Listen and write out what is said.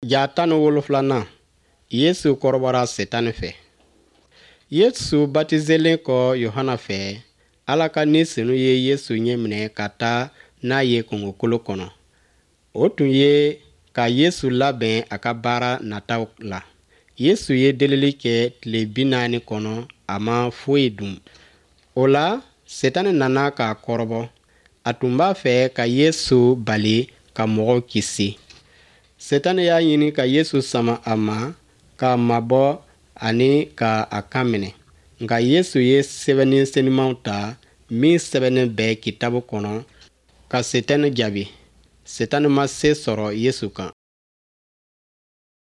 Ja 17nan, Yesu kɔrɔbɔra Setani fɛ. Yesu batizelen kɔ Yohana fɛ, Ala ka Ni Senu ye Yesu ɲɛminɛ ka taa n'a ye kungokolo kɔnɔ. O tun ye ka Yesu labɛn a ka baara nataw la. Yesu ye delili kɛ tile 40 kɔnɔ, a ma foyi dun. O la, Setani nana k'a kɔrɔbɔ. A tun b'a fɛ ka Yesu bali ka mɔgɔw kisi. Setani y'a ɲini ka Yesu sama a ma, k'a mabɔ ani ka a kan minɛ. Nka Yesu ye sɛbɛnni senimanw ta min sɛbɛnnen bɛ kitabu kɔnɔ ka Setani jaabi. Setani ma se sɔrɔ Yesu kan.